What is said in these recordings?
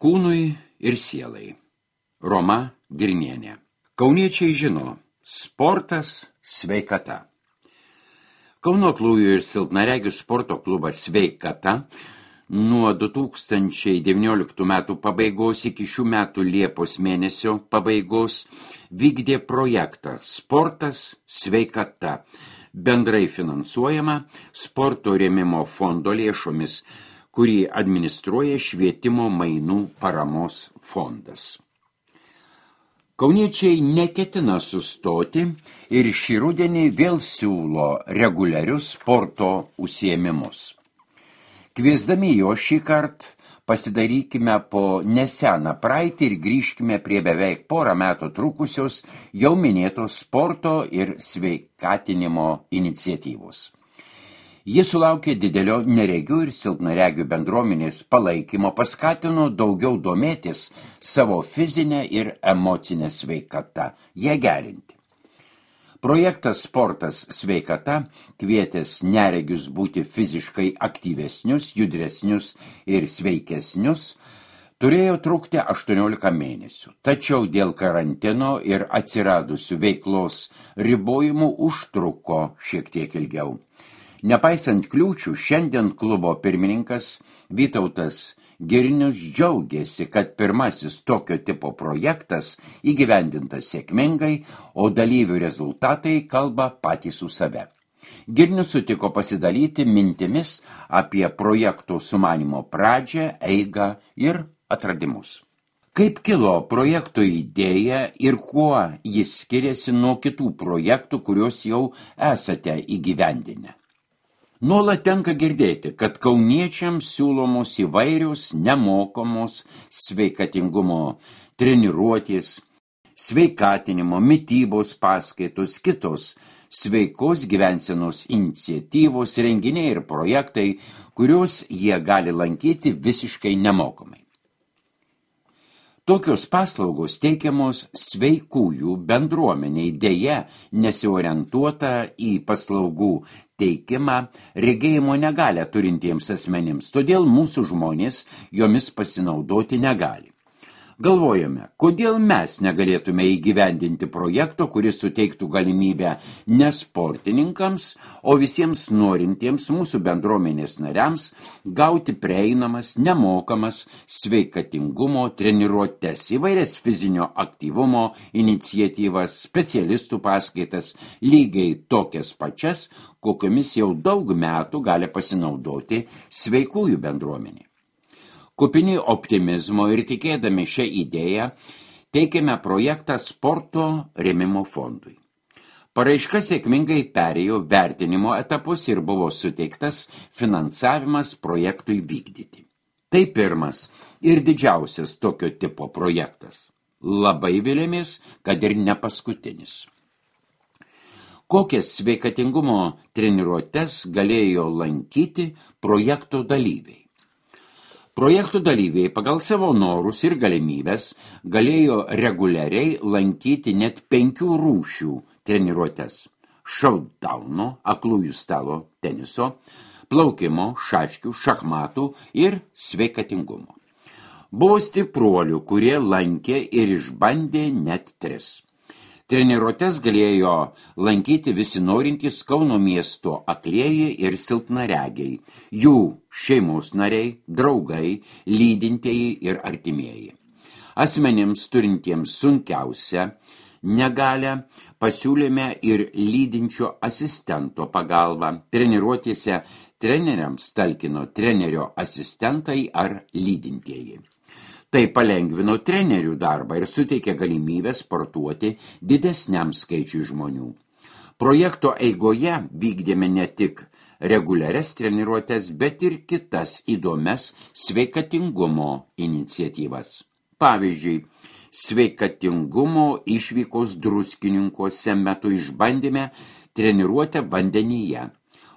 Kūnui ir sielai. Roma Girnienė. Kauniečiai žino, sportas sveikata. Kauno aklųjų ir silpnaregių sporto klubas Sveikata nuo 2019 metų pabaigos iki šių metų Liepos mėnesio pabaigos vykdė projektą Sportas sveikata, bendrai finansuojama sporto rėmimo fondo lėšomis, kurį administruoja Švietimo mainų paramos fondas. Kauniečiai neketina sustoti ir šį rudenį vėl siūlo reguliarius sporto užsiėmimus. Kviesdami jo šį kartą pasidarykime po neseną praeitį ir grįžkime prie beveik porą metų trukusios jau minėtos sporto ir sveikatinimo iniciatyvos. Jis sulaukė didelio neregių ir silpnaregių bendruomenės palaikymo, paskatino daugiau domėtis savo fizinę ir emocinę sveikatą, ją gerinti. Projektas Sportas sveikata kvietęs neregius būti fiziškai aktyvesnius, judresnius ir sveikesnius, turėjo trukti 18 mėnesių, tačiau dėl karantino ir atsiradusių veiklos ribojimų užtruko šiek tiek ilgiau. Nepaisant kliūčių, šiandien klubo pirmininkas Vytautas Girnius džiaugiasi, kad pirmasis tokio tipo projektas įgyvendintas sėkmingai, o dalyvių rezultatai kalba patys už save. Girnius sutiko pasidalyti mintimis apie projekto sumanymo pradžią, eigą ir atradimus. Kaip kilo projekto idėja ir kuo jis skiriasi nuo kitų projektų, kuriuos jau esate įgyvendinę? Nuolat tenka girdėti, kad kauniečiams siūlomos įvairios nemokamos sveikatingumo treniruotės, sveikatinimo, mitybos paskaitos, kitos sveikos gyvensenos iniciatyvos, renginiai ir projektai, kuriuos jie gali lankyti visiškai nemokamai. Tokios paslaugos teikiamos sveikųjų bendruomeniai, deja nesiorientuota į paslaugų teikimą regėjimo negalią turintiems asmenims, todėl mūsų žmonės jomis pasinaudoti negali. Galvojame, kodėl mes negalėtume įgyvendinti projekto, kuris suteiktų galimybę ne sportininkams, o visiems norintiems mūsų bendruomenės nariams gauti prieinamas, nemokamas sveikatingumo treniruotes, įvairias fizinio aktyvumo iniciatyvas, specialistų paskaitas, lygiai tokias pačias, kokiomis jau daug metų gali pasinaudoti sveikųjų bendruomenė. Kupini optimizmo ir tikėdami šią idėją, teikėme projektą sporto rėmimo fondui. Paraiška sėkmingai perėjo vertinimo etapus ir buvo suteiktas finansavimas projektui vykdyti. Tai pirmas ir didžiausias tokio tipo projektas. Labai vilėmės, kad ir ne paskutinis. Kokias sveikatingumo treniruotes galėjo lankyti projekto dalyviai? Projektų dalyviai pagal savo norus ir galimybės galėjo reguliariai lankyti net 5 rūšių treniruotes – šautdauno, aklųjų stalo teniso, plaukimo, šaškių, šachmatų ir sveikatingumo. Buvo stipruolių, kurie lankė ir išbandė net 3. Treniruotes galėjo lankyti visi norintys Kauno miesto aklieji ir silpnaregiai, jų šeimos nariai, draugai, lydintieji ir artimieji. Asmenims turintiems sunkiausią negalią pasiūlėme ir lydinčio asistento pagalbą. Treniruotėse treneriams talkino trenerio asistentai ar lydintieji. Tai palengvino trenerių darbą ir suteikė galimybę sportuoti didesniam skaičiui žmonių. Projekto eigoje vykdėme ne tik reguliarias treniruotes, bet ir kitas įdomias sveikatingumo iniciatyvas. Pavyzdžiui, sveikatingumo išvykos Druskininkuose metu išbandėme treniruotę vandenyje.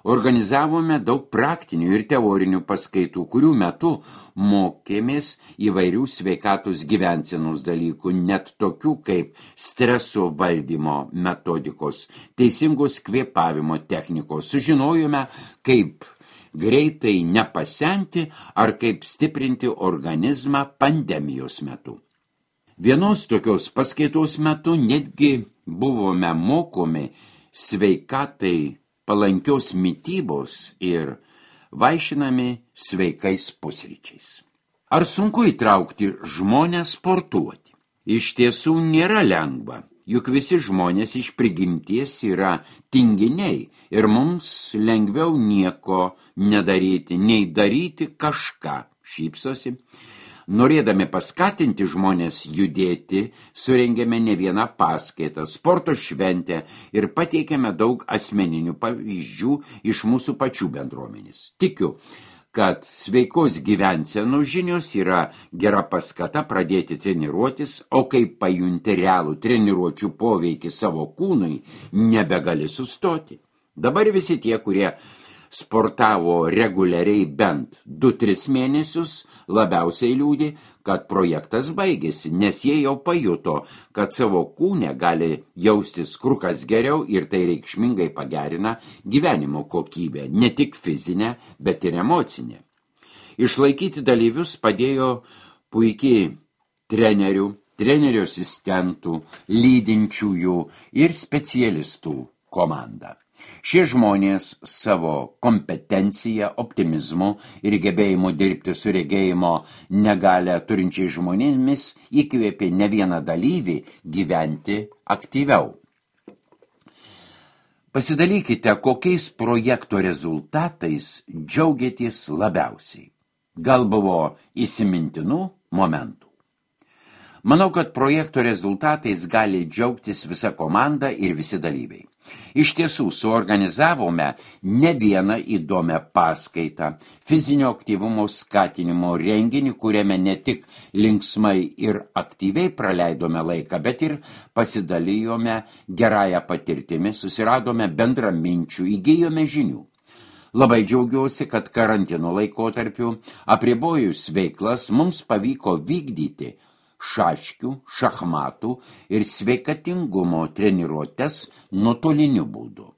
Organizavome daug praktinių ir teorinių paskaitų, kurių metu mokėmės įvairių sveikatos gyvensenos dalykų, net tokių kaip streso valdymo metodikos, teisingos kvėpavimo technikos. Sužinojome, kaip greitai nepasenti ar kaip stiprinti organizmą pandemijos metu. Vienos tokios paskaitos metu netgi buvome mokomi sveikatai palankios mitybos ir vaišinami sveikais pusryčiais. Ar sunku įtraukti žmonės sportuoti? Iš tiesų nėra lengva, juk visi žmonės iš prigimties yra tinginiai ir mums lengviau nieko nedaryti, nei daryti kažką, šypsosi. Norėdami paskatinti žmonės judėti, surengėme ne vieną paskaitą, sporto šventę ir pateikėme daug asmeninių pavyzdžių iš mūsų pačių bendruomenės. Tikiu, kad sveikos gyvensenos žinios yra gera paskata pradėti treniruotis, o kai pajunti realų treniruočių poveikį savo kūnui, nebegali sustoti. Dabar visi tie, kurie sportavo reguliariai bent 2-3 mėnesius, labiausiai liūdi, kad projektas baigėsi, nes jie jau pajuto, kad savo kūne gali jaustis kur kas geriau ir tai reikšmingai pagerina gyvenimo kokybę, ne tik fizinę, bet ir emocinę. Išlaikyti dalyvius padėjo puikiai trenerių asistentų, lydinčiųjų ir specialistų komanda. Šie žmonės savo kompetenciją, optimizmu ir gebėjimu dirbti su regėjimo negalią turinčiai žmonėmis įkvėpė ne vieną dalyvį gyventi aktyviau. Pasidalykite, kokiais projekto rezultatais džiaugiatės labiausiai. Gal buvo įsimintinų momentų? Manau, kad projekto rezultatais gali džiaugtis visa komanda ir visi dalyviai. Iš tiesų, suorganizavome ne vieną įdomią paskaitą, fizinio aktyvumo skatinimo renginį, kuriame ne tik linksmai ir aktyviai praleidome laiką, bet ir pasidalijome gerąją patirtimi, susiradome bendraminčių, įgijome žinių. Labai džiaugiuosi, kad karantino laikotarpiu apribojus veiklas mums pavyko vykdyti šaškių, šachmatų ir sveikatingumo treniruotes nuotoliniu būdu.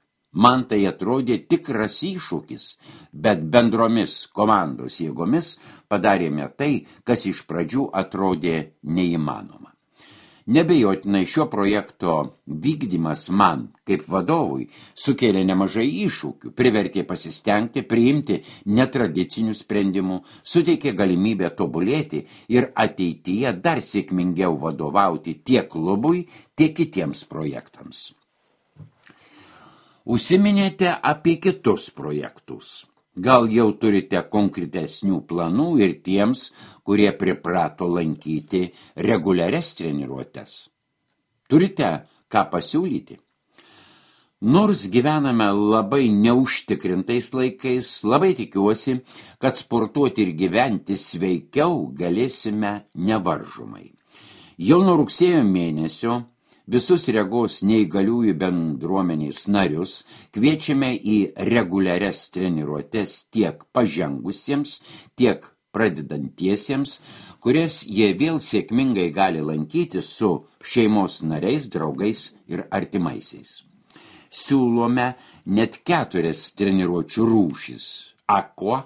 Man tai atrodė tikras iššūkis, bet bendromis komandos jėgomis padarėme tai, kas iš pradžių atrodė neįmanoma. Nebejotinai šio projekto vykdymas man, kaip vadovui, sukėlė nemažai iššūkių, privertė pasistengti, priimti netradicinių sprendimų, suteikė galimybę tobulėti ir ateityje dar sėkmingiau vadovauti tiek klubui, tiek kitiems projektams. Užsiminėte apie kitus projektus. Gal jau turite konkretesnių planų ir tiems, kurie priprato lankyti reguliarias treniruotes? Turite ką pasiūlyti? Nors gyvename labai neužtikrintais laikais, labai tikiuosi, kad sportuoti ir gyventi sveikiau galėsime nevaržomai. Jau nuo rugsėjo mėnesio visus regos neįgaliųjų bendruomenės narius kviečiame į reguliarias treniruotes tiek pažengusiems, tiek pradedantiesiems, kurias jie vėl sėkmingai gali lankyti su šeimos nariais, draugais ir artimaisiais. Siūlome net 4 treniruočių rūšis. Aqua,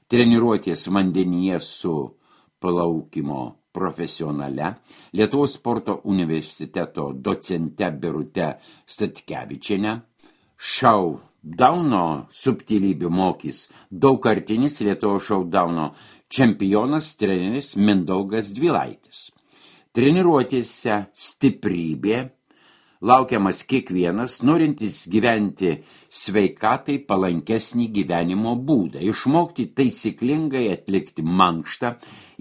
treniruotės vandenyje su plaukimo profesionale, Lietuvos sporto universiteto docente Birute Statkevičiene, šaudauno subtilybių mokys daugkartinis Lietuvos šaudauno čempionas treneris Mindaugas Dvilaitis. Treniruotėse stiprybė laukiamas kiekvienas, norintis gyventi sveikatai palankesnį gyvenimo būdą, išmokti taisyklingai atlikti mankštą,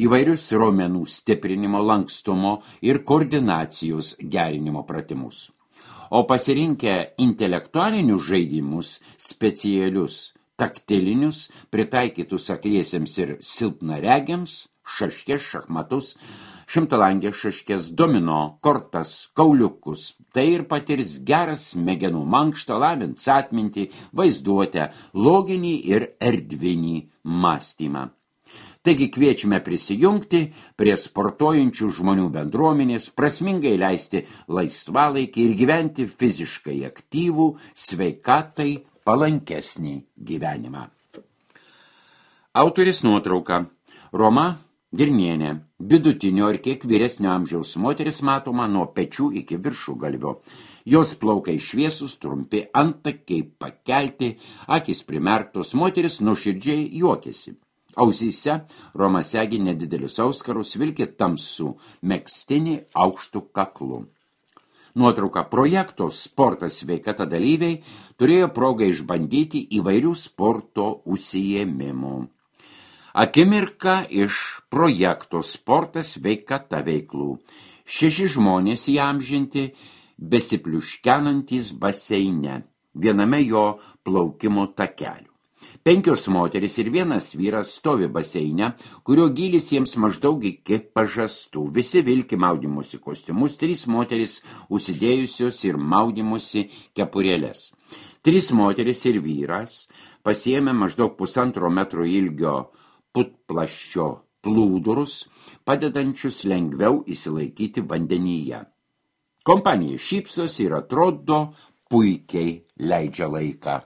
įvairius raumenų stiprinimo, lankstumo ir koordinacijos gerinimo pratimus. O pasirinkę intelektualinius žaidimus, specialius, taktilinius, pritaikytus akliesiems ir silpnaregiams, šaškės, šachmatus, šimtalangės šaškės, domino, kortas, kauliukus. Tai ir patirs geras smegenų mankštą, lavins atmintį, vaizduotę, loginį ir erdvinį mąstymą. Taigi kviečiame prisijungti prie sportuojančių žmonių bendruomenės, prasmingai leisti laisvalaikį ir gyventi fiziškai aktyvų, sveikatai palankesnį gyvenimą. Autorės nuotrauka. Roma Girnienė, vidutinio ir kiek vyresnio amžiaus moteris matoma nuo pečių iki viršugalvio. Jos plaukai šviesus, trumpi, antakiai pakelti, akys primerktos, moteris nuoširdžiai juokėsi. Ausyse Roma segi nedidelius auskarus, vilkė tamsų megztinį aukštų kaklu. Nuotrauka. Projekto Sportas sveikata dalyviai turėjo progą išbandyti įvairių sporto užsiėmimų. Akimirka iš projekto Sportas sveikata veiklų. 6 žmonės įamžinti, besipliuškenantys baseine, viename jo plaukimo takelių. 5 moteris ir 1 vyras stovi baseine, kurio gylis jiems maždaug iki pažastų. Visi vilki maudymosi kostiumus, 3 moteris užsidėjusios ir maudymosi kepurėlės. 3 moteris ir vyras pasiėmė maždaug 1,5 metro ilgio putplaščio plūdurus, padedančius lengviau įsilaikyti vandenyje. Kompanija šypsosi ir atrodo puikiai leidžia laiką.